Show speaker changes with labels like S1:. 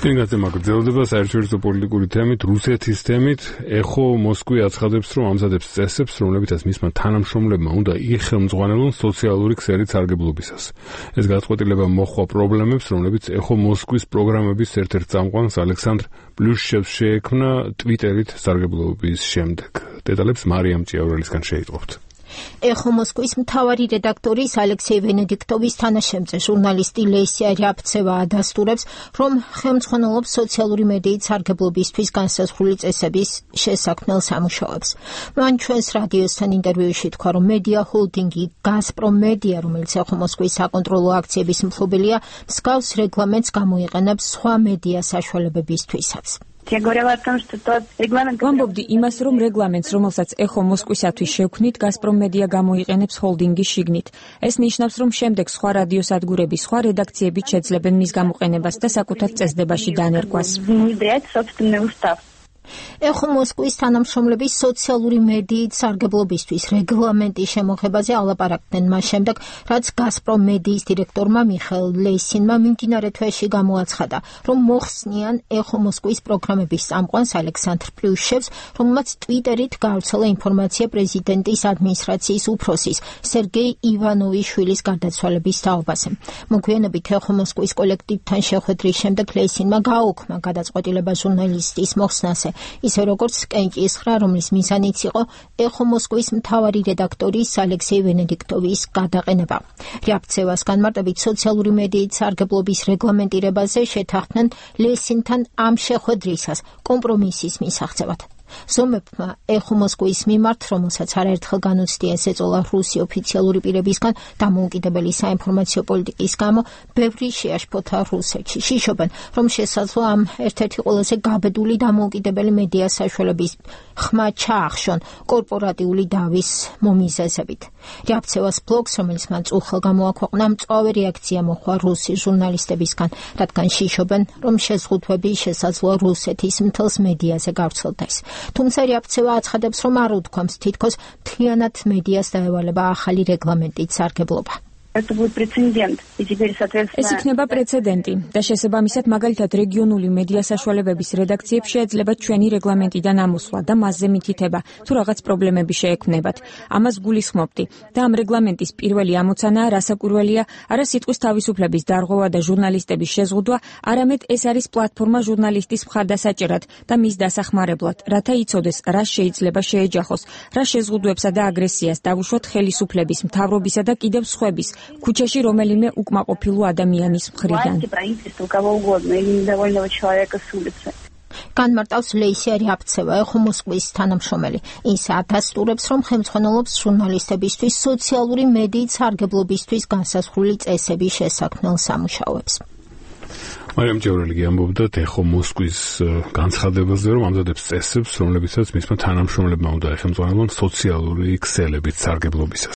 S1: წინასწარ მაგრძელდება საერთაშორისო პოლიტიკური თემით, რუსეთის თემით. ეხო მოსკვი აცხადებს, რომ ამზადებს წესებს, რომლებიცაც მისმა თანამშრომლებმა უნდა იხელმძღვანელონ სოციალური ქსელით სარგებლობისას. ეს გადაწყვეტილება მოჰყვა პრობლემებს, რომლებიც ეხო მოსკვის პროგრამების ერთ-ერთ წამყვანს ალექსანდრ პლუშჩევს შეექმნა ტვიტერით სარგებლობის შემდეგ. დეტალებს მარიამ ჭიაურელისგან შეიტყობთ.
S2: ეხო მოსკვის მთავარი რედაქტორის ალექსეი ვენედიქტოვის თანაშემწე ჟურნალისტი ლესია რიაპცევა ადასტურებს, რომ ხელმძღვანელობს სოციალური მედიით სარგებლობისთვის განსაზღვრული წესების შესაქმნელ სამუშაოებს. მან ჩვენს რადიოსთან ინტერვიუში თქვა, რომ მედია ჰოლდინგი გაზპრომ მედია, რომელიც ეხო მოსკვის საკონტროლო აქციების მფლობელია, მსგავს რეგლამენტს გამოიყენებს სხვა მედია საშუალებებისთვისაც.
S3: ვამბობდი იმას, რომ რეგლამენტს, რომელსაც ეხო მოსკვისათვის შევქმნით, გაზპრომ მედია გამოიყენებს ჰოლდინგის შიგნით. ეს ნიშნავს, რომ შემდეგ სხვა რადიოსადგურები, სხვა რედაქციებიც შეძლებენ მის გამოყენებას და საკუთარ წესდებაში დანერგვას.
S2: ეხო მოსკვის თანამშრომლების სოციალური მედიით სარგებლობისთვის რეგლამენტის შემოღებაზე ალაპარაკდნენ მას შემდეგ, რაც გაზპრომ მედიის დირექტორმა მიხეილ ლესინმა მიმდინარე თვეში გამოაცხადა, რომ მოხსნიან ეხო მოსკვის პროგრამების წამყვანს ალექსანდრ პლუშჩევს, რომელმაც ტვიტერით გავრცელა ინფორმაცია პრეზიდენტის ადმინისტრაციის უფროსის სერგეი ივანოვის შვილის გარდაცვალების თაობაზე. მოგვიანებით ეხო მოსკვის კოლექტივთან შეხვედრის შემდეგ ლესინმა გააუქმა გადაწყვეტილება ჟურნალისტის მოხსნაზე, ისე როგორც კენჭისხრა, რომლის მიზანიც იყო ეხო მოსკვის მთავარი რედაქტორის ალექსეი ვენედიქტოვის გადაყენება. რიაპცევას განმარტებით სოციალური მედიით სარგებლობის რეგლამენტირებაზე შეთანხმდნენ ლესინთან ამ შეხვედრისას კომპრომისის მისაღწევად. ზომებმა ეხო მოსკვის მიმართ, რომელსაც არაერთხელ განუცდია ეს ეწოლა რუსი ოფიციალური პირებისგან დამოუკიდებელი საინფორმაციო პოლიტიკის გამო, ბევრი შეაშფოთა რუსეთში. შიშობენ, რომ შესაძლოა ამ ერთ-ერთი ყველაზე გაბედული დამოუკიდებელი მედია საშუალების ხმა ჩაახშონ კორპორატიული დავის მომიზეზებით. რიაპცევას ბლოგს, რომელიც მან წუხელ გამოაქვეყნა, მწვავე რეაქცია მოჰყვა რუსი ჟურნალისტებისგან, რადგან შიშობენ, რომ შეზღუდვები შესაძლოა რუსეთის მთელს მედიაზე გავრცელდეს. თუმცა რიაპცევა აცხადებს, რომ არ უთქვამს თითქოს მთლიანად მედიას დაევალება ახალი რეგლამენტით სარგებლობა.
S3: ეს იქნება პრეცედენტი და შესაბამისად მაგალითად რეგიონული მედია საშუალებების რედაქციებს შეეძლება ჩვენი რეგლამენტიდან ამოსვლა და მასზე მითითება, თუ რაღაც პრობლემები შეექმნებათ. ამას გულისხმობდი და ამ რეგლამენტის პირველი ამოცანაა რასაკურველია არა სიტყვის თავისუფლების დარღვევა და ჟურნალისტების შეზღუდვა, არამედ ეს არის პლატფორმა ჟურნალისტის მხარდასაჭერად და მის დასახმარებლად, რათა იცოდეს, რა შეიძლება შეეჯახოს, რა შეზღუდვებსა და აგრესიას დავუშვათ ხელისუფლების, მთავრობისა და კიდევ სხვების ქუჩაში რომელიმე უკმაყოფილო ადამიანის მხრიდან.
S2: განმარტავს ლესია რიაპცევა, ეხო მოსკვის თანამშრომელი. ის ადასტურებს, რომ ხელმძღვანელობს ჟურნალისტებისთვის სოციალური მედიით სარგებლობისთვის განსაზღვრული წესების შესაქმნელ სამუშაოებს.
S1: მარიამ ჭიაურელი ამბობდა ეხო მოსკვის განცხადებაზე, რომ ამზადებს წესებს, რომლებიცაც მისმა თანამშრომლებმა უნდა ეხელმძღვანელონ სოციალური ქსელებით სარგებლობისას.